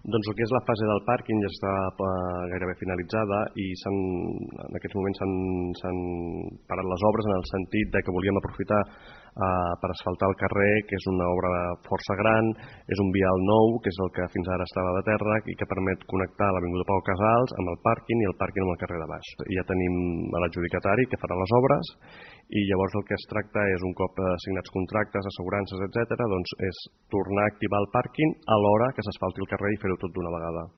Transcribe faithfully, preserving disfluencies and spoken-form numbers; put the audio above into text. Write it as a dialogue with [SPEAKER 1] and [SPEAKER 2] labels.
[SPEAKER 1] Doncs el que és la fase del pàrquing ja està gairebé finalitzada i en aquests moments s'han parat les obres en el sentit de que volíem aprofitar eh, per asfaltar el carrer, que és una obra força gran, és un vial nou, que és el que fins ara estava de terra i que permet connectar l'avinguda Pau Casals amb el pàrquing i el pàrquing amb el carrer de baix. Ja tenim l'adjudicatari que farà les obres i llavors el que es tracta és, un cop signats contractes, assegurances, etcètera, doncs és tornar a activar el pàrquing a l'hora que s'asfalti el carrer i fer-ho tot d'una vegada.